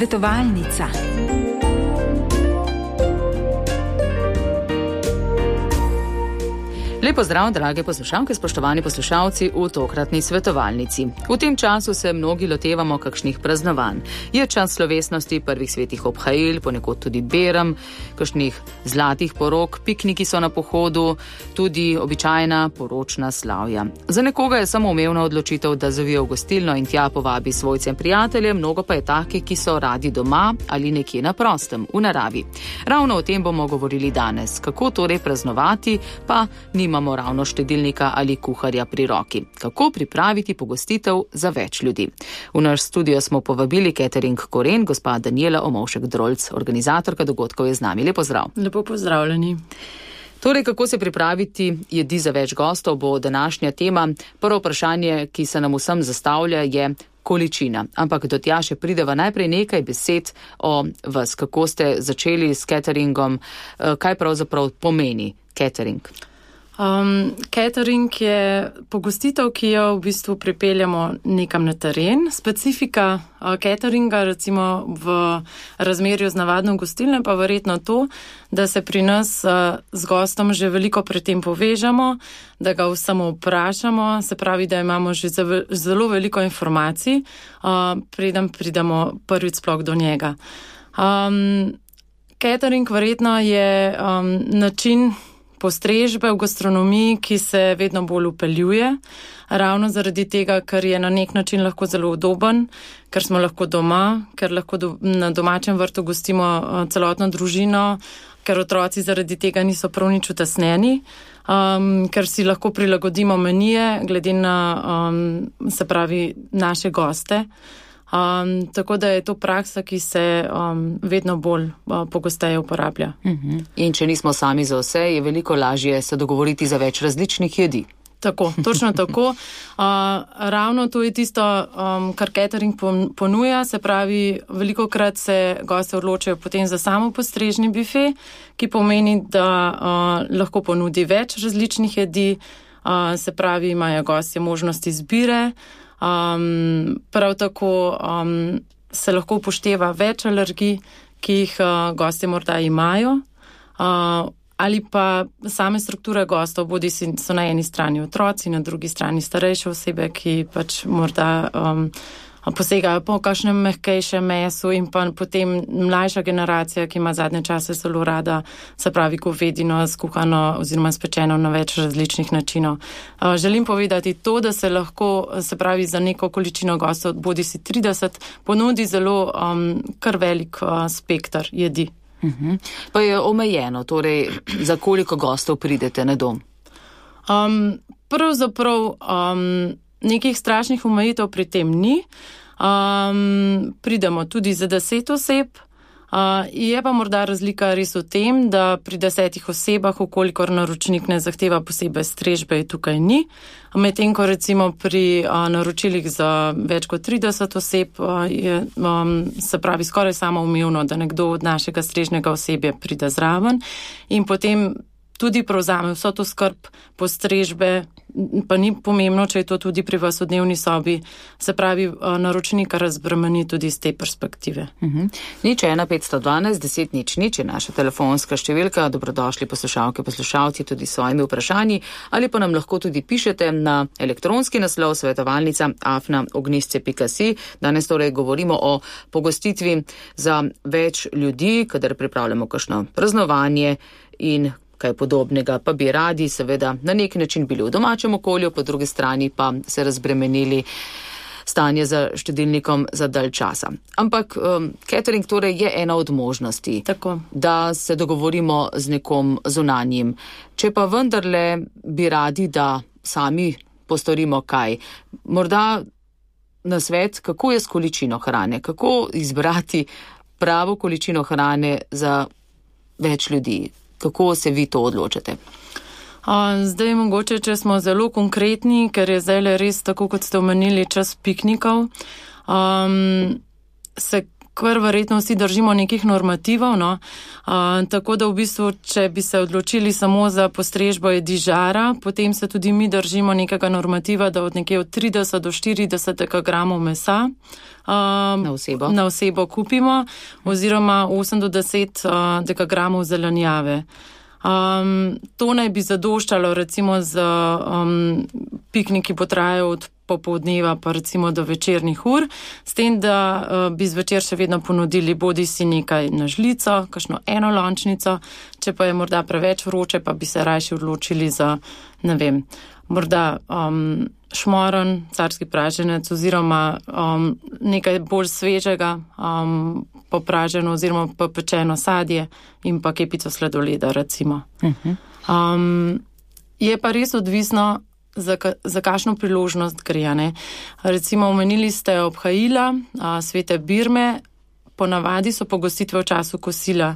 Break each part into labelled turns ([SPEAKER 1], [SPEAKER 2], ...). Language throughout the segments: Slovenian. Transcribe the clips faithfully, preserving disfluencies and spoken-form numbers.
[SPEAKER 1] Svetovalnica.
[SPEAKER 2] Lepo zdrav, drage poslušalke, spoštovani poslušalci v tokratni svetovalnici. V tem času se mnogi lotevamo kakšnih praznovanj. Je čas slovesnosti prvih svetih obhajil, ponekod tudi berem, kakšnih zlatih porok, pikniki so na pohodu, tudi običajna poročna slavja. Za nekoga je samoumevna odločitev, da zavije v gostilno in tja povabi svojce in prijatelje, mnogo pa je takih, ki so radi doma ali nekje na prostem, v naravi. Ravno o tem bomo govorili danes. Kako torej praznovati, pa nima imamo ravno štedilnika ali kuharja pri roki. Kako pripraviti pogostitev za več ljudi? V naš studio smo povabili Catering Koren, gospa Danijela Omovšek-Drolc, organizatorka dogodkov je z nami. Lepo zdrav.
[SPEAKER 3] Lepo pozdravljeni.
[SPEAKER 2] Torej, kako se pripraviti jedi za več gostov, bo današnja tema. Prvo vprašanje, ki se nam vsem zastavlja, je količina. Ampak do tja še prideva najprej nekaj besed o vas. Kako ste začeli s cateringom? Kaj pravzaprav pomeni catering?
[SPEAKER 3] Um, catering je pogostitev, ki jo v bistvu pripeljamo nekam na teren. Specifika uh, cateringa, recimo v razmerju z navadno gostilno, pa verjetno to, da se pri nas uh, z gostom že veliko pred tem povežamo, da ga samo vprašamo, se pravi, da imamo že zelo veliko informacij, uh, preden pridemo prvič sploh do njega. Um, catering verjetno je um, način postrežbe v gastronomiji, ki se vedno bolj upeljuje, ravno zaradi tega, ker je na nek način lahko zelo udoben, ker smo lahko doma, ker lahko do, na domačem vrtu gostimo celotno družino, ker otroci zaradi tega niso prav nič utesnjeni, um, ker si lahko prilagodimo menije glede na, um, se pravi, naše goste. Um, tako da je to praksa, ki se um, vedno bolj uh, pogosteje uporablja.
[SPEAKER 2] Uh-huh. In če nismo sami za vse, je veliko lažje se dogovoriti za več različnih jedi.
[SPEAKER 3] Tako, točno tako. Uh, ravno to je tisto, um, kar catering ponuja, se pravi, veliko krat se goste odločajo potem za samo postrežni bife, ki pomeni, da uh, lahko ponudi več različnih jedi, uh, se pravi, imajo gostje možnost izbire. Um, prav tako um, se lahko upošteva več alergij, ki jih uh, gostje morda imajo, uh, ali pa same strukture gostov, bodi so na eni strani otroci, na drugi strani starejše osebe, ki pač morda um, posegajo po kakšnem mehkejšem mesu, in pa potem mlajša generacija, ki ima zadnje čase zelo rada, se pravi govedino skuhano oziroma spečeno na več različnih načinov. Želim povedati to, da se lahko, se pravi, za neko količino gostov, bodi si trideset, ponudi zelo um, kar velik uh, spektar jedi.
[SPEAKER 2] Uh-huh. Pa je omejeno, torej za koliko gostov pridete na dom?
[SPEAKER 3] Um, pravzaprav um, nekih strašnih omejitev pri tem ni. Um, pridemo tudi za deset oseb. Uh, je pa morda razlika res v tem, da pri desetih osebah, ukolikor naročnik ne zahteva posebej strežbe, tukaj ni. Medtem ko recimo pri uh, naročilih za več kot trideset oseb uh, je, um, se pravi, skoraj samoumevno, da nekdo od našega strežnega osebja pride zraven in potem tudi prevzame vso to skrb postrežbe, pa ni pomembno, če je to tudi pri vas v dnevni sobi, se pravi, naročnika razbremeni tudi iz te perspektive.
[SPEAKER 2] Uh-huh. Nič ena petsto dvanajst deset nič nič je naša telefonska številka. Dobrodošli poslušalke, poslušalci tudi s svojimi vprašanji, ali pa nam lahko tudi pišete na elektronski naslov svetovalnica afna ognjisce pika si. Danes torej govorimo o pogostitvi za več ljudi, kadar pripravljamo kakšno praznovanje in kaj podobnega, pa bi radi seveda na nek način bili v domačem okolju, po drugi strani pa se razbremenili stanje za štedilnikom za dalj časa. Ampak um, catering torej je ena od možnosti,
[SPEAKER 3] tako,
[SPEAKER 2] da se dogovorimo z nekom zunanjim. Če pa vendarle bi radi, da sami postorimo kaj, morda na svet, kako je s količino hrane, kako izbrati pravo količino hrane za več ljudi. Kako se vi to odločate?
[SPEAKER 3] Zdaj mogoče, če smo zelo konkretni, ker je zdaj res tako, kot ste omenili, čas piknikov, um, se kar verjetno vsi držimo nekih normativov, no. Uh, tako da v bistvu, če bi se odločili samo za postrežbo jedi žara, potem se tudi mi držimo nekega normativa, da od nekje od trideset do štirideset gramov mesa uh,
[SPEAKER 2] na osebo.
[SPEAKER 3] na osebo kupimo, oziroma osem do deset uh, dekagramov zelenjave. Um, to naj bi zadoščalo recimo z um, pikniki potrajajo od popoldneva pa recimo do večernih ur, s tem, da uh, bi zvečer še vedno ponudili bodi si nekaj na žlico, kakšno eno lončnico, če pa je morda preveč vroče, pa bi se rajši odločili za, ne vem, morda um, šmoren, carski praženec oziroma um, nekaj bolj svežega, um, popraženo oziroma popečeno sadje in pa kepico sladoleda, recimo. Uh-huh. Um, je pa res odvisno, za, ka, za kakšno priložnost gre, ne. Recimo, omenili ste obhajila, a, svete birme, ponavadi so pogostitve v času kosila.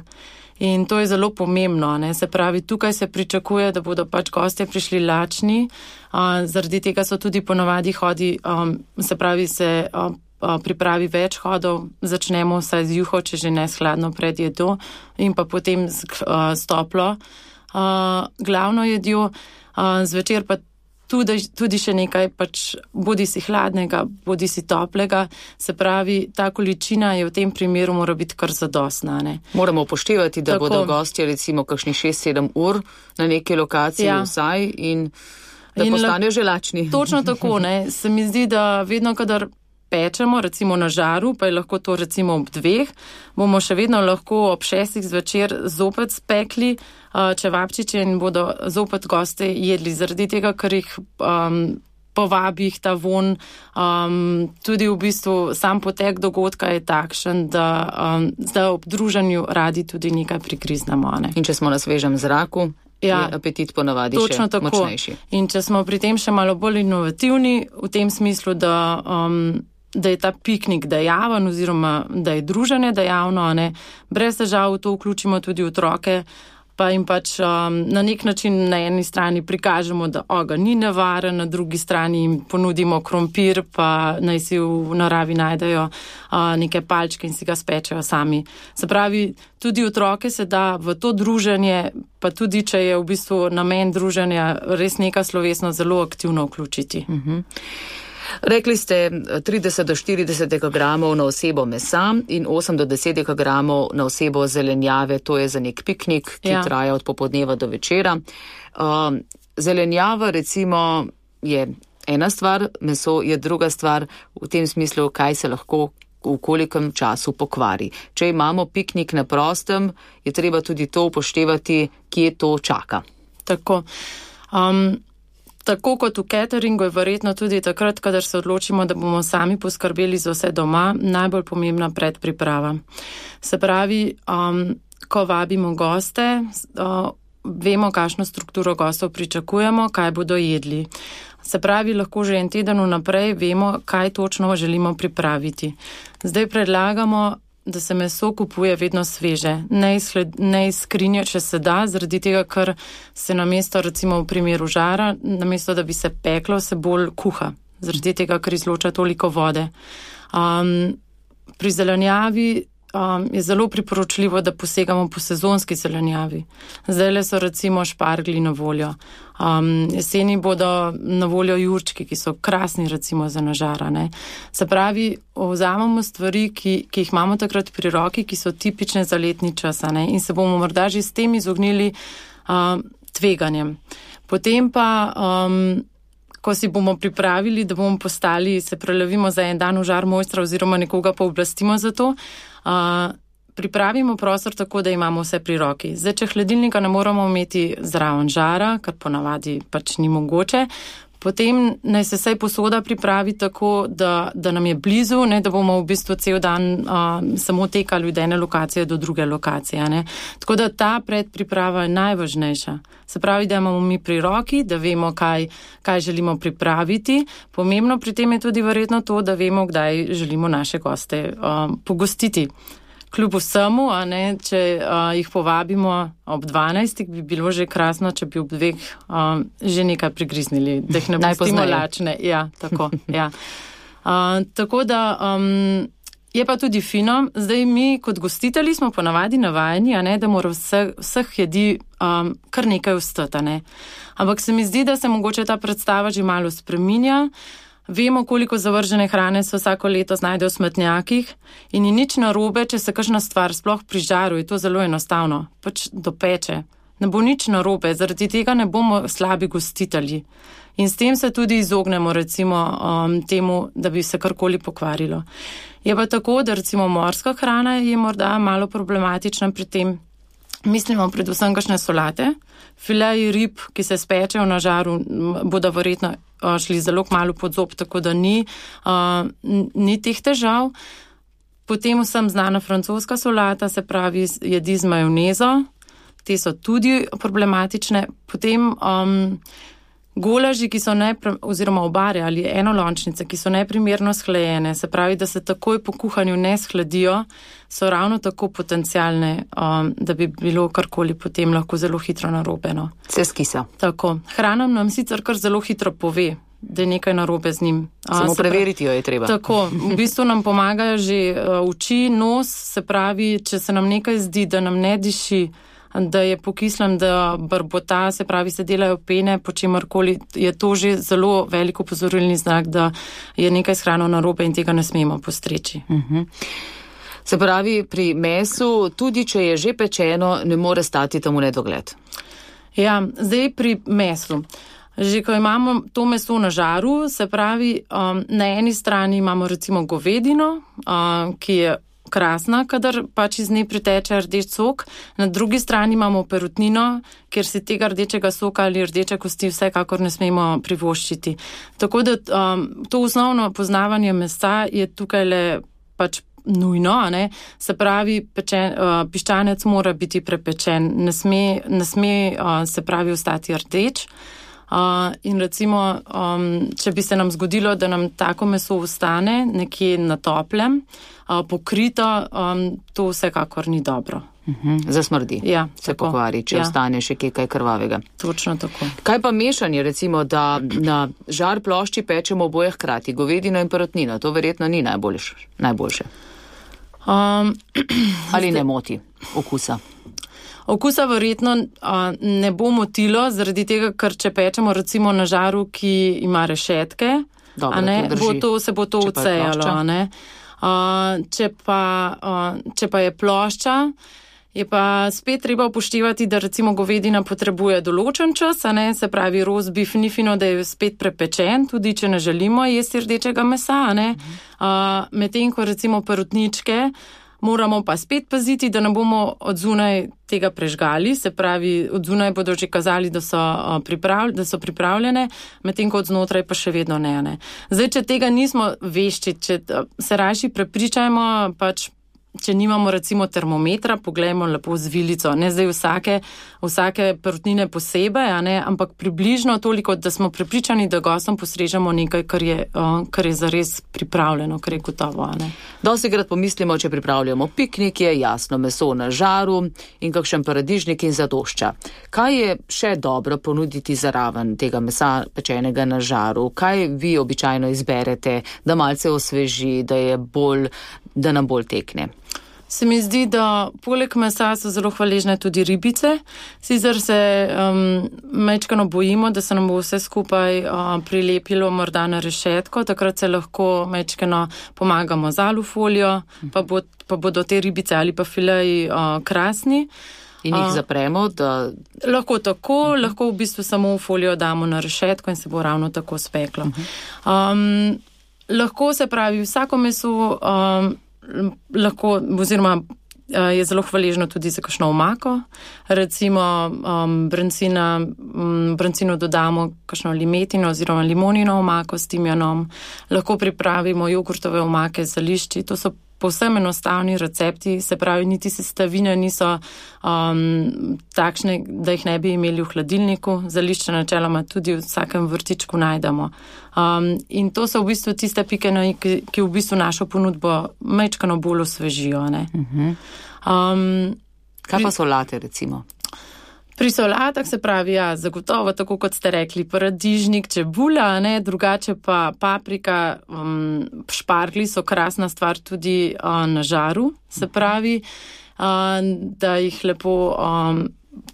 [SPEAKER 3] In to je zelo pomembno, ne. Se pravi, tukaj se pričakuje, da bodo pač gostje prišli lačni, a, zaradi tega so tudi ponavadi hodi, um, se pravi, se um, pripravi več hodov, začnemo vsaj z juho, če že ne s hladno pred jedo, in pa potem z, uh, s toplo uh, glavno jedjo, uh, zvečer pa tudi, tudi še nekaj pač bodi si hladnega, bodi si toplega, se pravi, ta količina je v tem primeru mora biti kar zadostna, ne.
[SPEAKER 2] Moramo upoštevati, da
[SPEAKER 3] Tako.
[SPEAKER 2] bodo gostje recimo kakšnih šest sedem ur na neki lokaciji ja. vsaj in da in postanejo že lačni.
[SPEAKER 3] Točno tako, ne. Se mi zdi, da vedno, kadar pečemo, recimo na žaru, pa je lahko to recimo ob dveh, bomo še vedno lahko ob šestih zvečer zopet spekli uh, čevapčiče in bodo zopet goste jedli, zaradi tega, ker jih um, povabi jih ta von. Um, tudi v bistvu sam potek dogodka je takšen, da, um, da ob druženju radi tudi nekaj prigriznemo. Ne?
[SPEAKER 2] In če smo na svežem zraku, ja, je apetit ponavadi še
[SPEAKER 3] tako.
[SPEAKER 2] močnejši.
[SPEAKER 3] In če smo pri tem še malo bolj inovativni, v tem smislu, da um, da je ta piknik dejaven oziroma da je druženje dejavno, ne, brez težav to vključimo tudi otroke, pa jim pač um, na nek način na eni strani prikažemo, da ogenj ni nevaren, na drugi strani jim ponudimo krompir, pa naj si v naravi najdejo uh, neke palčke in si ga spečejo sami. Se pravi, tudi otroke se da v to druženje, pa tudi če je v bistvu namen druženja res neka slovesno zelo aktivno vključiti.
[SPEAKER 2] Uh-huh. Rekli ste trideset do štirideset gramov na osebo mesa in osem do deset gramov na osebo zelenjave, to je za nek piknik, ki ja. traja od popoldneva do večera. Uh, zelenjava recimo je ena stvar, meso je druga stvar, v tem smislu, kaj se lahko v kolikem času pokvari. Če imamo piknik na prostem, je treba tudi to upoštevati, kje to čaka.
[SPEAKER 3] Tako. Um, Tako kot v cateringu je verjetno tudi takrat, kadar se odločimo, da bomo sami poskrbeli za vse doma, najbolj pomembna predpriprava. Se pravi, um, ko vabimo goste, uh, vemo, kakšno strukturo gostov pričakujemo, kaj bodo jedli. Se pravi, lahko že en teden vnaprej vemo, kaj točno želimo pripraviti. Zdaj predlagamo, da se meso kupuje vedno sveže, ne iz, ne iz skrinje, če se da, zaradi tega, ker se namesto, recimo v primeru žara, namesto, da bi se peklo, se bolj kuha, zaradi tega, ker izloča toliko vode. Um, pri zelenjavi um, je zelo priporočljivo, da posegamo po sezonski zelenjavi. Zdajle so recimo šparglji na voljo. Um, jeseni bodo na voljo jurčki, ki so krasni recimo za nažara. Ne? Se pravi, vzamemo stvari, ki, ki jih imamo takrat pri roki, ki so tipične za letni čas, ne? In se bomo morda že s tem izognili um, tveganjem. Potem pa, um, ko si bomo pripravili, da bomo postali, se prelevimo za en dan v žar mojstra oziroma nekoga pa oblastimo za to, uh, pripravimo prostor tako, da imamo vse pri roki. Zdaj, če hladilnika ne moramo imeti zraven žara, kar ponavadi pač ni mogoče, potem naj se vsaj posoda pripravi tako, da, da nam je blizu, ne, da bomo v bistvu cel dan uh, samo tekali od ene lokacije do druge lokacije. Ne. Tako da ta predpriprava je najvažnejša. Se pravi, da imamo mi pri roki, da vemo, kaj, kaj želimo pripraviti. Pomembno pri tem je tudi verjetno to, da vemo, kdaj želimo naše goste uh, pogostiti. Kljub vsemu, a ne, če uh, jih povabimo ob dvanajstih, bi bilo že krasno, če bi ob dveh uh, že nekaj prigriznili, da jih ne pustimo lačne. Ja, tako, ja. Uh, tako da um, Je pa tudi fino, zdaj mi kot gostitelji smo ponavadi navajeni, a ne, da mora vseh, vseh jedi um, kar nekaj ostati, ne. Ampak se mi zdi, da se mogoče ta predstava že malo spreminja. Vemo, koliko zavržene hrane se vsako leto znajde v smetnjakih in ni nič narobe, če se kakšna stvar sploh pri žaru, je to zelo enostavno, pač dopeče. Ne bo nič narobe, zaradi tega ne bomo slabi gostitelji. In s tem se tudi izognemo recimo um, temu, da bi se karkoli pokvarilo. Je pa tako, da recimo morska hrana je morda malo problematična pri tem. Mislimo predvsem kakšne solate, fileji rib, ki se spečejo na žaru, bodo verjetno šli zelo malo pod zob, tako da ni, uh, ni teh težav. Potem vsem znana francoska solata, se pravi jedi z majonezo, te so tudi problematične. Potem um, golaži, ki so nepre, oziroma obare ali enolončnice, ki so neprimerno shlajene, se pravi, da se takoj po kuhanju ne shladijo, so ravno tako potencialne, um, da bi bilo karkoli potem lahko zelo hitro narobeno.
[SPEAKER 2] Se skisa.
[SPEAKER 3] Tako. Hrana nam sicer kar zelo hitro pove, da je nekaj narobe z njim.
[SPEAKER 2] Samo preveriti jo je treba.
[SPEAKER 3] Tako, v bistvu nam pomagajo že uh, oči, nos, se pravi, če se nam nekaj zdi, da nam ne diši, da je pokislem, da brbota, se pravi, se delajo pene, po čemarkoli, je to že zelo veliko opozorilni znak, da je nekaj s hrano narobe in tega ne smemo postreči.
[SPEAKER 2] Uh-huh. Se pravi, pri mesu, tudi če je že pečeno, ne more stati tam v nedogled.
[SPEAKER 3] Ja, zdaj pri mesu. Že ko imamo to meso na žaru, se pravi, um, na eni strani imamo recimo govedino, um, ki je krasna, kadar pač iz nje priteče rdeč sok. Na drugi strani imamo perutnino, kjer si tega rdečega soka ali rdeče kosti vsekakor ne smemo privoščiti. Tako da um, to osnovno poznavanje mesa je tukaj le pač nujno, a ne? Se pravi, pečen, uh, piščanec mora biti prepečen, ne sme, ne sme uh, se pravi ostati rdeč. Uh, in recimo, um, če bi se nam zgodilo, da nam tako meso ostane nekje na toplem, uh, pokrito, um, to vsekakor ni dobro.
[SPEAKER 2] Uh-huh. Zasmrdi,
[SPEAKER 3] ja,
[SPEAKER 2] se
[SPEAKER 3] tako.
[SPEAKER 2] Pokvari, če
[SPEAKER 3] ja.
[SPEAKER 2] ostane še kaj krvavega.
[SPEAKER 3] Točno tako.
[SPEAKER 2] Kaj pa mešanje, recimo, da na žar plošči pečemo oboje hkrati, govedino in perutnino, to verjetno ni najboljš, najboljše.
[SPEAKER 3] Um,
[SPEAKER 2] Ali ne moti okusa?
[SPEAKER 3] Okusa verjetno uh, ne bo motilo, zaradi tega, ker če pečemo recimo na žaru, ki ima rešetke,
[SPEAKER 2] Dobro,
[SPEAKER 3] a ne,
[SPEAKER 2] to
[SPEAKER 3] bo to, se bo to
[SPEAKER 2] če
[SPEAKER 3] ucejalo. A ne. Uh, če, pa, uh, če pa je plošča, je pa spet treba upoštevati, da recimo govedina potrebuje določen čas, a ne, se pravi roast beef ni fino, da je spet prepečen, tudi če ne želimo jesti rdečega mesa, a ne. Uh, medtem ko recimo perutničke, moramo pa spet paziti, da ne bomo od zunaj tega prežgali, se pravi, od zunaj bodo že kazali, da so, priprav, da so pripravljene, medtem ko od znotraj pa še vedno ne, ne. Zdaj, če tega nismo vešči, če se rajši prepričajmo, pač, če nimamo recimo termometra, poglejmo lepo z vilico, ne zdaj vsake, vsake perutnine posebej, a ne, ampak približno toliko, da smo prepričani, da gostom postrežemo nekaj, kar je, kar je zares pripravljeno, kar je gotovo, a ne.
[SPEAKER 2] Dostikrat pomislimo, če pripravljamo piknik, je jasno meso na žaru in kakšen paradižnik in zadošča. Kaj je še dobro ponuditi zaraven tega mesa pečenega na žaru? Kaj vi običajno izberete, da malce osveži, da je bolj, da nam bolj tekne?
[SPEAKER 3] Se mi zdi, da poleg mesa so zelo hvaležne tudi ribice. Sicer se um, mečkano bojimo, da se nam bo vse skupaj uh, prilepilo morda na rešetko, takrat se lahko mečkano pomagamo z alufolijo, pa, bo, pa bodo te ribice ali pa fileji uh, krasni.
[SPEAKER 2] In jih zapremo, da...
[SPEAKER 3] Lahko tako, uh-huh. lahko v bistvu samo folijo damo na rešetko in se bo ravno tako speklo. Uh-huh. Um, lahko se pravi, vsako meso... Um, lahko, oziroma je zelo hvaležno tudi za kakšno omako. Recimo um, brancina, um, brancino dodamo kakšno limetino oziroma limonino omako s timjanom. Lahko pripravimo jogurtove omake z zelišči. To so povsem enostavni recepti, se pravi, niti sestavine niso um, takšne, da jih ne bi imeli v hladilniku. Zelišče načeloma tudi v vsakem vrtičku najdemo. Um, in to so v bistvu tiste pike, ki, ki v bistvu našo ponudbo mečkano bolj osvežijo. Ne?
[SPEAKER 2] Uh-huh. Um, Kaj pa solate, recimo?
[SPEAKER 3] Pri solatah se pravi, ja, zagotovo, tako kot ste rekli, paradižnik, čebula, ne, drugače pa paprika, um, šparglji so krasna stvar tudi uh, na žaru, se pravi, uh, da jih lepo, um,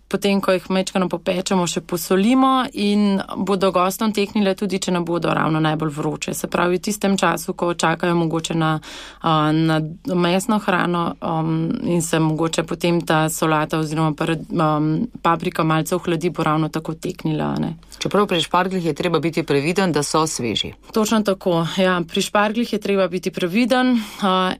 [SPEAKER 3] potem, ko jih mečkano popečemo, še posolimo in bodo gostom teknile tudi, če ne bodo ravno najbolj vroče. Se pravi, v tistem času, ko čakajo mogoče na, na mesno hrano um, in se mogoče potem ta solata oziroma um, paprika malce ohladi, bo ravno tako teknila. Ne?
[SPEAKER 2] Čeprav pri šparglih je treba biti previden, da so sveži.
[SPEAKER 3] Točno tako, ja. Pri šparglih je treba biti previden. Uh,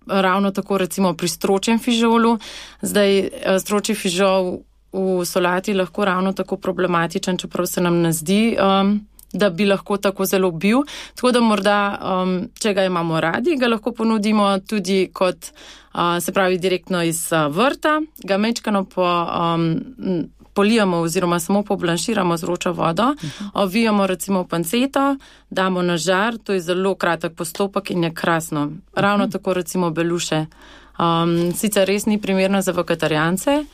[SPEAKER 3] ravno tako recimo pri stročjem fižolu. Zdaj, stročji fižol v solati lahko ravno tako problematičen, čeprav se nam ne zdi, um, da bi lahko tako zelo bil. Tako da morda, um, če ga imamo radi, ga lahko ponudimo tudi kot, uh, se pravi, direktno iz uh, vrta, ga mečkano po, um, polijamo oziroma samo poblanširamo z vročo vodo, uh-huh. ovijamo recimo v panceto, damo na žar, to je zelo kratek postopek in je krasno. Ravno uh-huh. tako recimo beluše. Um, sicer res ni primerno za vegetarijance,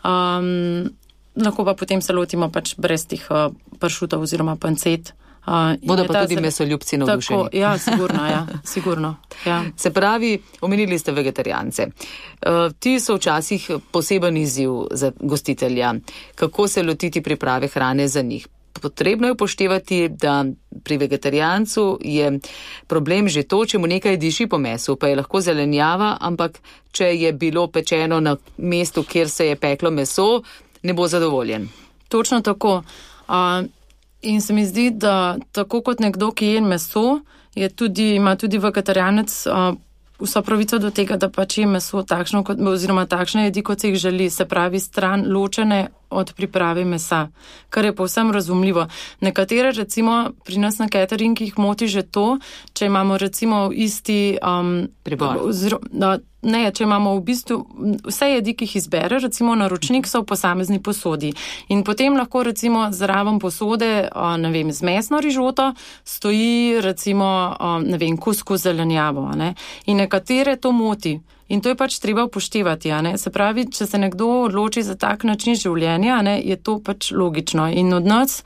[SPEAKER 3] Um, lahko pa potem se lotimo pač brez tih uh, pršutov oziroma pancet. Uh,
[SPEAKER 2] Bodo pa tudi mesoljubci navdušeni.
[SPEAKER 3] Ja, sigurno, ja, sigurno. Ja.
[SPEAKER 2] Se pravi, omenili ste vegetarijance. Uh, ti so včasih poseben izziv za gostitelja. Kako se lotiti priprave hrane za njih? Potrebno je upoštevati, da pri vegetarijancu je problem že to, če mu nekaj diši po mesu, pa je lahko zelenjava, ampak če je bilo pečeno na mestu, kjer se je peklo meso, ne bo zadovoljen.
[SPEAKER 3] Točno tako. Uh, in se mi zdi, da tako kot nekdo, ki je meso, je tudi, ima tudi vegetarijanec uh, vso pravico do tega, da pač je meso takšno, kot, oziroma takšne jedi, kot se jih želi, se pravi stran ločene od priprave mesa, kar je povsem razumljivo. Nekatere recimo pri nas na cateringih moti že to, če imamo recimo isti um,
[SPEAKER 2] pribor.
[SPEAKER 3] Ozro, da, ne, če imamo v bistvu vse jedi, ki jih izbere, recimo naročnik so v posamezni posodi. In potem lahko recimo zraven posode, ne vem, z mesno rižoto stoji recimo, ne vem, kuskus zelenjavo. Ne? In nekatere to moti. In to je pač treba upoštevati, a ne. Se pravi, če se nekdo odloči za tak način življenja, ne, je to pač logično. In od nas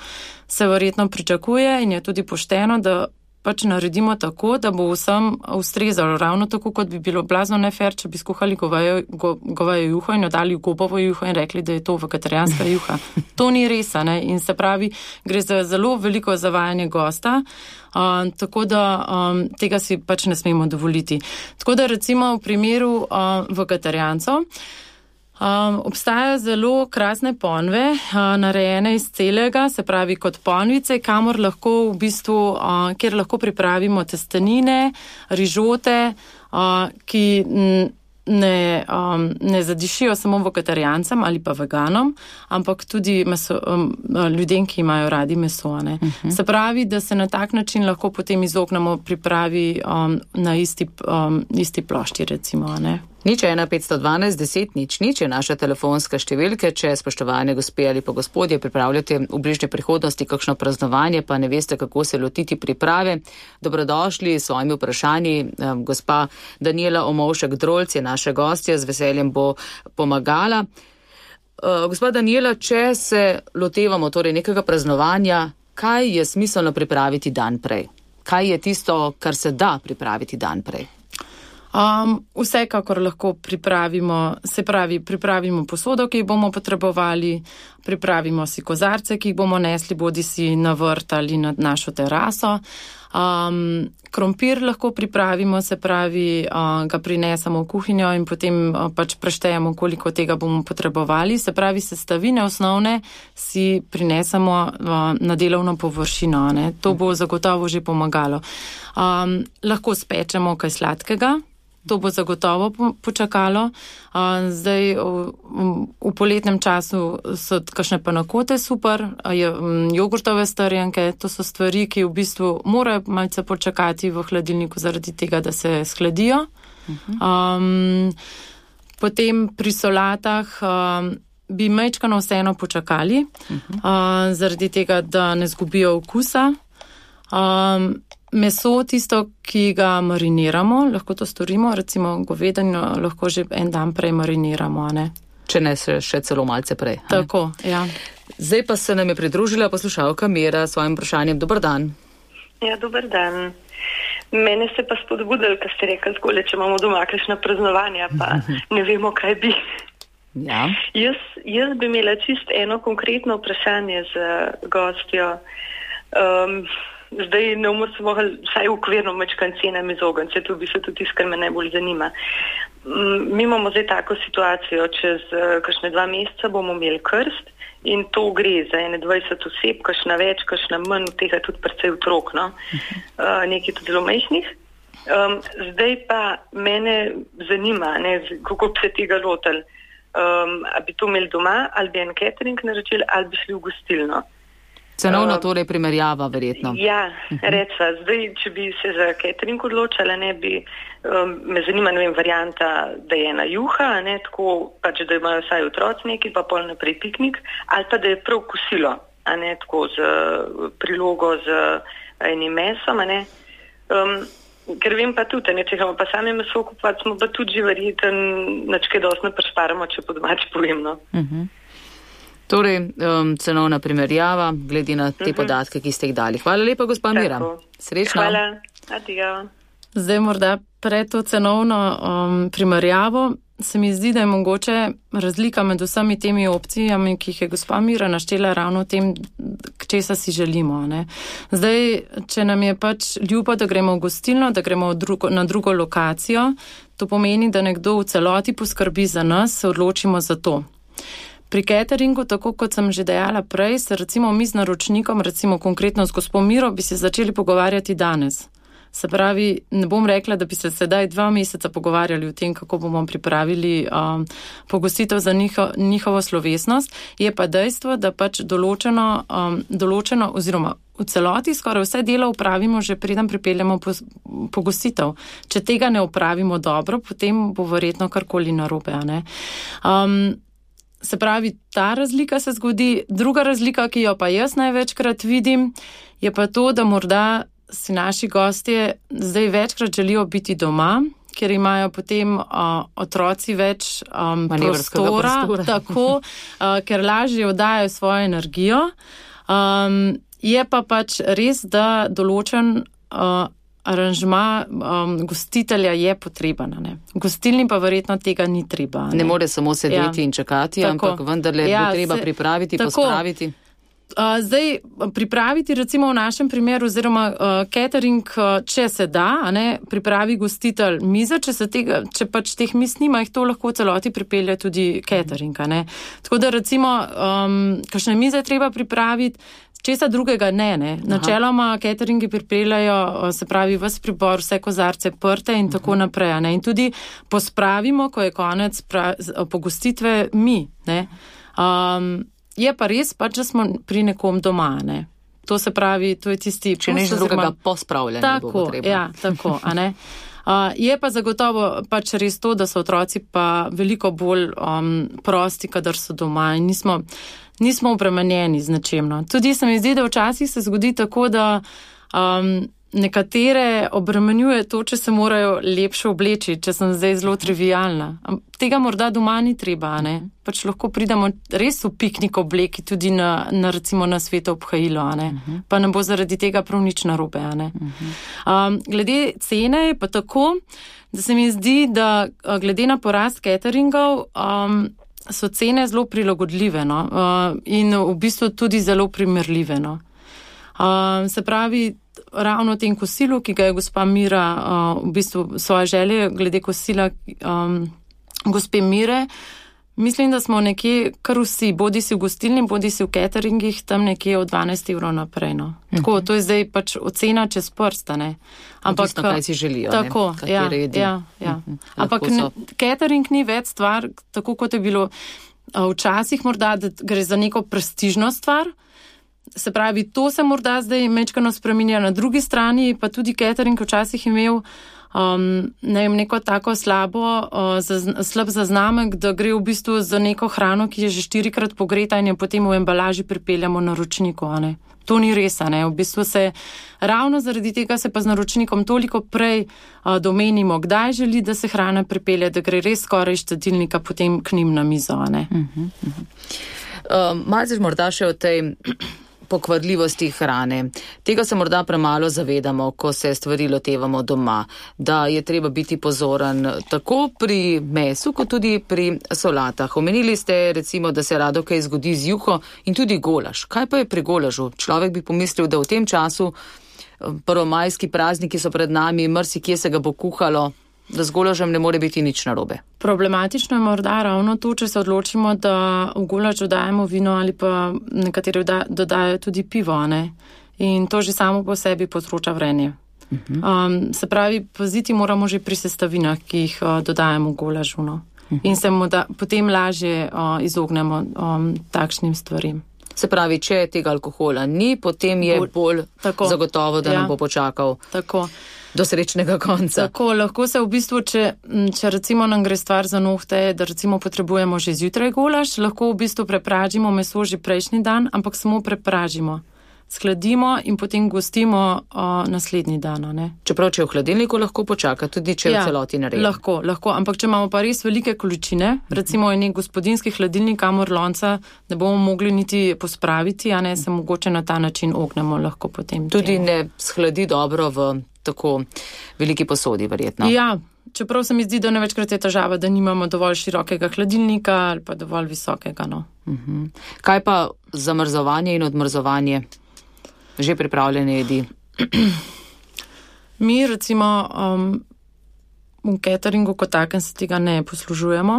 [SPEAKER 3] se verjetno pričakuje in je tudi pošteno, da pač naredimo tako, da bo vsem ustrezalo. Ravno tako, kot bi bilo blazno nefer, če bi skuhali govejo, go, govejo juho in dodali gobovo juho in rekli, da je to vegetarijanska juha. To ni res, a ne. In se pravi, gre za zelo veliko zavajanje gosta, uh, tako da um, tega si pač ne smemo dovoliti. Tako da recimo v primeru uh, vegetarijancov Um, obstajajo zelo krasne ponve, uh, narejene iz celega, se pravi kot ponvice, kamor lahko v bistvu, uh, kjer lahko pripravimo testenine, rižote, uh, ki ne, um, ne zadišijo samo vegetarijancem ali pa veganom, ampak tudi meso, um, ljudem, ki imajo radi meso. Ne. Uh-huh. Se pravi, da se na tak način lahko potem izognemo pripravi um, na isti, um, isti plošči, recimo. Ne.
[SPEAKER 2] Nič ena petsto dvanajst deset nič nič je naša telefonska številka, če spoštovane gospe ali pa gospodje pripravljate v bližnji prihodnosti kakšno praznovanje, pa ne veste, kako se lotiti priprave. Dobrodošli s svojimi vprašanji. Gospa Danijela Omovšek-Drolc je naša gostja, z veseljem bo pomagala. Gospa Danijela, če se lotevamo torej nekega praznovanja, kaj je smiselno pripraviti dan prej? Kaj je tisto, kar se da pripraviti dan prej?
[SPEAKER 3] Um, vsekakor lahko pripravimo, se pravi, pripravimo posodo, ki jih bomo potrebovali, pripravimo si kozarce, ki jih bomo nesli bodi si na vrt ali na našo teraso. Um, krompir lahko pripravimo, se pravi, uh, ga prinesemo v kuhinjo in potem uh, pač preštejemo, koliko tega bomo potrebovali. Se pravi, sestavine osnovne si prinesemo uh, na delovno površino. Ne? To bo zagotovo že pomagalo. Um, lahko spečemo kaj sladkega. To bo zagotovo počakalo. Zdaj v, v poletnem času so kakšne panakote super, jogurtove strjenke, to so stvari, ki v bistvu morajo malce počakati v hladilniku zaradi tega, da se shladijo. Uh-huh. Um, potem pri solatah um, bi majčkano vseeno počakali, uh-huh. uh, zaradi tega, da ne zgubijo okusa. Um, Meso, tisto, ki ga mariniramo, lahko to storimo, recimo govedino lahko že en dan prej mariniramo, ne?
[SPEAKER 2] če ne še, še celo malce prej.
[SPEAKER 3] Tako, ja.
[SPEAKER 2] Zdaj pa se nam je pridružila poslušalka Mira s svojim vprašanjem. Dober dan.
[SPEAKER 1] Ja, dober dan. Mene se pa spodbudili, ker ste rekli takole, če imamo doma kakšna praznovanja, pa ne vemo, kaj bi.
[SPEAKER 2] Ja.
[SPEAKER 1] Jaz, jaz bi imela čist eno konkretno vprašanje za gostjo. Um, zdaj ne bomo se mogli vsaj ukvirno mečkan cenam izogniti, se tu bi se tudi tisto, kar me najbolj zanima. Um, mi imamo zdaj tako situacijo, čez uh, kakšne dva meseca bomo imeli krst in to gre za ene dvajset oseb, kakšna več, kakšna manj, od tega tudi precej otrok, no? uh, nekaj tudi zelo majhnih. Um, zdaj pa mene zanima, ne, kako bi se tega lotili. Um, a bi to imeli doma, ali bi en catering naročili, ali bi šli v gostilno.
[SPEAKER 2] Cenovno torej primerjava, verjetno.
[SPEAKER 1] Ja, recva, zdaj, če bi se za catering odločala, ne bi, um, me zanima, ne vem, varianta, da je ena juha, ne, tako, pač, da imajo vsaj otroci neki, pa pol naprej piknik, ali pa da je prav kosilo, a ne, tako, z prilogo, z enim mesom, a ne. Um, ker vem pa tudi, ne, če imamo pa same meso kupovati, smo pa tudi že verjeten, načke dosti ne prešparamo, če po domač povem, no.
[SPEAKER 2] Uh-huh. Torej, um, cenovna primerjava, glede na te uh-huh. podatke, ki ste jih dali. Hvala lepa, gospa Mira. Srečno.
[SPEAKER 1] Hvala. Adijo.
[SPEAKER 3] Zdaj morda pred to cenovno um, primerjavo se mi zdi, da je mogoče razlika med vsemi temi opcijami, ki jih je gospa Mira naštela ravno v tem, k česa si želimo. Ne? Zdaj, če nam je pač ljubo, da gremo v gostilno, da gremo drugo, na drugo lokacijo, to pomeni, da nekdo v celoti poskrbi za nas, se odločimo za to. Pri cateringu, tako kot sem že dejala prej, se recimo mi z naročnikom, recimo konkretno z gospo Miro, bi se začeli pogovarjati danes. Se pravi, ne bom rekla, da bi se sedaj dva meseca pogovarjali o tem, kako bomo pripravili um, pogostitev za njiho, njihovo slovesnost. Je pa dejstvo, da pač določeno, um, določeno oziroma v celoti skoraj vse delo upravimo, že preden pripeljemo pogostitev. Če tega ne upravimo dobro, potem bo verjetno karkoli narobe, a ne? Um, Se pravi, ta razlika se zgodi. Druga razlika, ki jo pa jaz največkrat vidim, je pa to, da morda si naši gostje zdaj večkrat želijo biti doma, ker imajo potem uh, otroci več um, prostora, prostora. Tako, uh, ker lažje oddajajo svojo energijo. Um, je pa pač res, da določen uh, aranžma um, gostitelja je potreben. Ne? Gostilni pa verjetno tega ni treba. Ne,
[SPEAKER 2] ne more samo sedeti ja. in čakati, tako. Ampak vendarle ja, bo treba se, pripraviti, tako. pospraviti.
[SPEAKER 3] Uh, zdaj, pripraviti recimo v našem primeru, oziroma uh, catering, uh, če se da, a ne, pripravi gostitelj mize, če, se tega, če pač teh mis nima, jih to lahko v celoti pripelje tudi catering. A ne. Tako da recimo, um, kakšne mize treba pripraviti, česa drugega ne, ne. Načeloma cateringi pripeljajo, se pravi, ves pribor, vse kozarce, prte in tako uh-huh. naprej. Ne. In tudi pospravimo, ko je konec pra, pogostitve mi. Ne. Um, je pa res pač, da smo pri nekom doma. Ne. To se pravi, to je tisti...
[SPEAKER 2] Če nič drugega pospravljanja bo potreba.
[SPEAKER 3] Ja, tako, a ne. Uh, je pa zagotovo pač res to, da so otroci pa veliko bolj um, prosti, kadar so doma in nismo, nismo obremenjeni z nečemno. Tudi se mi zdi, da včasih se zgodi tako, da um, nekatere obremenjuje to, če se morajo lepše obleči, če sem zdaj zelo trivialna. Tega morda doma ni treba, ne? Pač lahko pridemo res v piknik obleki tudi na, na recimo na sveto obhajilo, a ne? Uh-huh. Pa ne bo zaradi tega prav nič narobe, a ne? Uh-huh. Um, glede cene je pa tako, da se mi zdi, da glede na porast cateringov um, so cene zelo prilagodljive, no? Uh, in v bistvu tudi zelo primerljive, no? Uh, se pravi, ravno v tem kosilu, ki ga je gospa Mira uh, v bistvu svoje želje glede kosila um, gospe Mire, mislim, da smo nekje kar vsi, bodi si v gostilni, bodi si v cateringih, tam nekje od dvanajst evrov naprej. No. Tako, uh-huh. to je zdaj pač ocena čez prsta, ne. Ampak,
[SPEAKER 2] odvisno, kaj si želijo,
[SPEAKER 3] tako,
[SPEAKER 2] ne,
[SPEAKER 3] ja,
[SPEAKER 2] redi.
[SPEAKER 3] Ja, ja. Uh-huh. Ampak ne, catering ni več stvar, tako kot je bilo uh, včasih morda, da gre za neko prestižno stvar. Se pravi, to se morda zdaj mečkano spreminja, na drugi strani pa tudi catering včasih imel um, ne vem, neko tako slabo, uh, zaz, slab zaznamek, da gre v bistvu za neko hrano, ki je že štirikrat pogreta in jo potem v embalaži pripeljamo naročniku, a ne. To ni res, a ne. V bistvu se ravno zaradi tega se pa z naročnikom toliko prej uh, domenimo, kdaj želi, da se hrana pripelje, da gre res skoraj iz štedilnika potem k njim na mizo, a ne.
[SPEAKER 2] Uh-huh, uh-huh. Uh, malce morda še o tej pokvarljivosti hrane. Tega se morda premalo zavedamo, ko se stvari lotevamo doma, da je treba biti pozoren tako pri mesu, kot tudi pri solatah. Omenili ste recimo, da se rado kaj zgodi z juho in tudi golaž. Kaj pa je pri golažu? Človek bi pomislil, da v tem času prvomajski prazniki so pred nami, marsikje se ga bo kuhalo, da z golažem ne more biti nič narobe.
[SPEAKER 3] Problematično je morda ravno to, če se odločimo, da v golaž dodajemo vino ali pa nekateri dodajajo tudi pivo, ne? In to že samo po sebi povzroča vrenje. Uh-huh. Um, se pravi, paziti moramo že pri sestavinah, ki jih uh, dodajemo v golažu, no? Uh-huh. In se mu da, potem lažje uh, izognemo um, takšnim stvarim.
[SPEAKER 2] Se pravi, če tega alkohola ni, potem je bolj tako zagotovo, da ja. nam bo počakal tako. Do srečnega konca.
[SPEAKER 3] Tako, lahko se v bistvu, če, če recimo nam gre stvar za nohte, da recimo potrebujemo že zjutraj golaž, lahko v bistvu prepražimo meso že prejšnji dan, ampak samo prepražimo. Skladimo in potem gostimo o, naslednji dan. Ne?
[SPEAKER 2] Čeprav, če je v hladilniku, lahko počaka, tudi če je ja, v celoti narejen.
[SPEAKER 3] Lahko, lahko, ampak če imamo pa res velike količine, recimo je nek gospodinski hladilnik, kamor lonca ne bomo mogli niti pospraviti, a ne se mogoče na ta način ognemo lahko potem.
[SPEAKER 2] Tudi
[SPEAKER 3] temu.
[SPEAKER 2] Ne shladi dobro v tako veliki posodi, verjetno.
[SPEAKER 3] Ja, čeprav se mi zdi, da nevečkrat je težava, da nimamo dovolj širokega hladilnika ali pa dovolj visokega. No.
[SPEAKER 2] Uh-huh. Kaj pa zamrzovanje in odmrzovanje? Že pripravljene jedi?
[SPEAKER 3] Mi recimo um, v cateringu kot takem se tega ne poslužujemo.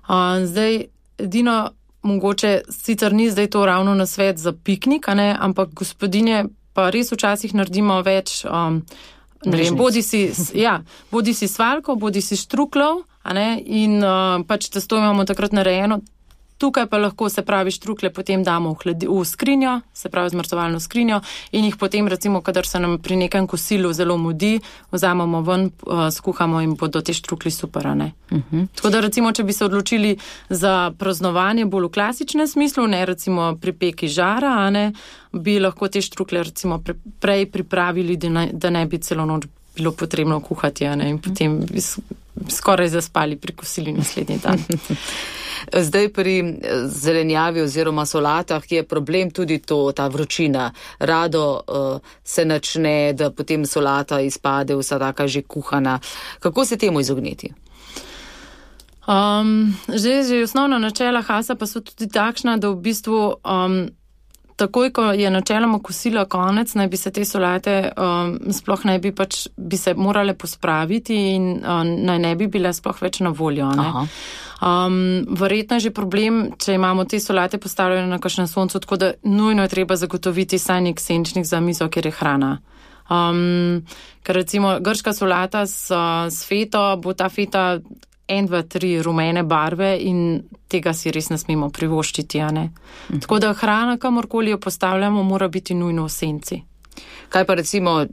[SPEAKER 3] Uh, zdaj, edino mogoče, sicer ni zdaj to ravno na svet za piknik, a ne, ampak gospodinje pa res včasih naredimo več, um, ne vem, bodi si, ja, bodi si svalko, bodi si štruklov, a ne, in uh, pač testo imamo takrat narejeno. Tukaj pa lahko, se pravi, štrukle potem damo v, hladi, v skrinjo, se pravi zmrzovalno skrinjo in jih potem recimo, kadar se nam pri nekem kosilu zelo mudi, vzamemo ven, uh, skuhamo in bodo te štrukli super, ne. Uh-huh. Tako da recimo, če bi se odločili za praznovanje bolj v klasičnem smislu, ne recimo pri peki žara, a ne, bi lahko te štrukle recimo pre, prej pripravili, da ne, da ne bi celo noč bilo potrebno kuhati, a ne, in potem bi skoraj zaspali pri kosili naslednji dan.
[SPEAKER 2] Zdaj pri zelenjavi oziroma solatah je problem tudi to, ta vročina. Rado uh, se načne, da potem solata izpade vsa taka že kuhana. Kako se temu izogniti?
[SPEAKER 3] Um, že, že osnovna načela Hasa pa so tudi takšna, da v bistvu um, takoj, ko je načeloma kosila konec, naj bi se te solate um, sploh ne bi pač, bi se morale pospraviti in um, naj ne bi bile sploh več na voljo, ne? Aha. Um, verjetno je že problem, če imamo te solate postavljene na kakšnem soncu, tako da nujno je treba zagotoviti saj nek senčnik za mizo, kjer je hrana. Um, ker recimo grška solata s, s feto, bo ta feta en, dva, tri rumene barve in tega si res ne smemo privoščiti, a ne. Mhm. Tako da hrana, kamorkoli jo postavljamo, mora biti nujno v senci.
[SPEAKER 2] Kaj pa recimo,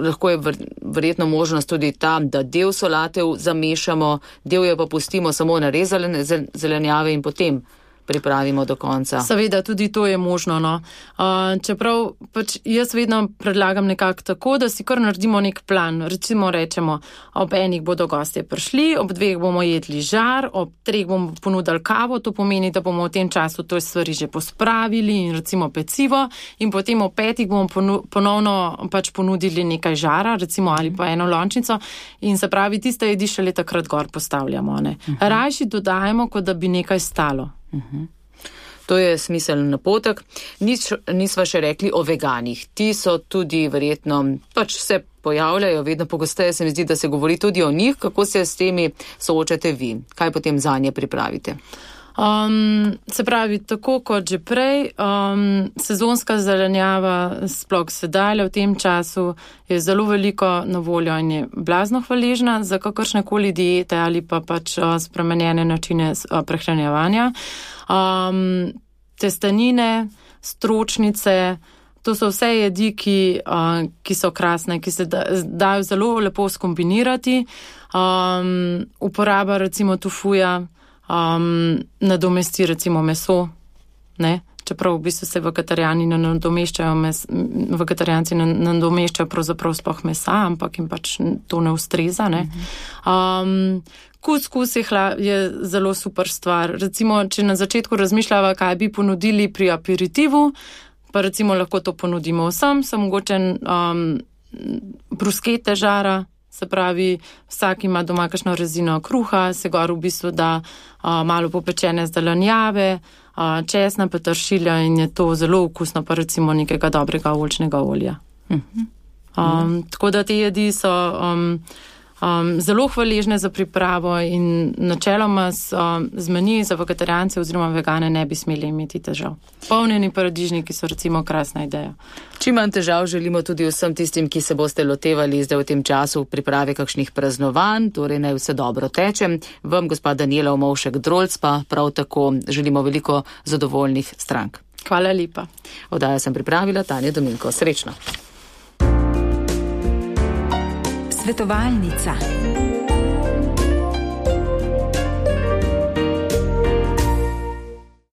[SPEAKER 2] lahko je verjetno možnost tudi tam, da del solate zamešamo, del jo pa pustimo samo narezane zelenjave in potem pripravimo do konca.
[SPEAKER 3] Seveda, tudi to je možno, no. Uh, čeprav pač jaz vedno predlagam nekako tako, da si kar naredimo nek plan. Recimo rečemo, ob enih bodo gostje prišli, ob dveh bomo jedli žar, ob treh bomo ponudili kavo, to pomeni, da bomo v tem času to stvari že pospravili in recimo pecivo in potem ob petih bomo ponu- ponovno pač ponudili nekaj žara, recimo ali pa eno lončnico in se pravi, tiste jedi šele takrat gor postavljamo, ne. Uh-huh. Rajši dodajemo, kot da bi nekaj stalo.
[SPEAKER 2] Uh-huh. To je smiseln napotek. Nis, nisva še rekli o veganih. Ti so tudi verjetno, pač se pojavljajo, vedno pogosteje se mi zdi, da se govori tudi o njih. Kako se s temi soočate vi? Kaj potem zanje pripravite?
[SPEAKER 3] Um, se pravi, tako kot že prej, um, sezonska zelenjava sploh sedaj v tem času je zelo veliko na voljo in je blazno hvaležna za kakršnekoli diete ali pa pač uh, spremenjene načine uh, prehranjevanja. Um, testenine, stročnice, To so vse jedi, ki, uh, ki so krasne, ki se da, dajo zelo lepo skombinirati. Um, uporaba recimo tofuja um, nadomesti recimo meso, ne? Čeprav v bistvu se vegetarijani ne nadomeščajo, mes, vegetarijanci ne nadomeščajo pravzaprav sploh mesa, ampak jim pač to ne ustreza, ne. Um, kuskus je, hla, je zelo super stvar. Recimo, če na začetku razmišljava, kaj bi ponudili pri aperitivu, pa recimo lahko to ponudimo vsem, so mogoče um, bruskete žara, se pravi, vsak ima doma kakšno rezino kruha, se gor v bistvu da uh, malo popečene zelenjave, česna, peteršilja in je to zelo okusno, pa recimo nekega dobrega oljčnega olja. Uh-huh. Um, tako da te jedi so um, um, zelo hvaležne za pripravo in načeloma z, um, z meniji za vegetarijance oziroma vegane ne bi smeli imeti težav. Polnjeni paradižniki so recimo krasna ideja.
[SPEAKER 2] Čim manj težav želimo tudi vsem tistim, ki se boste lotevali zdaj v tem času priprave kakšnih praznovanj, torej naj vse dobro teče. Vam, gospa Danijela Omovšek-Drolc, pa prav tako želimo veliko zadovoljnih strank.
[SPEAKER 3] Hvala lepa.
[SPEAKER 2] Oddajo sem pripravila Tanja Dominko. Srečno.
[SPEAKER 4] Svetovalnica.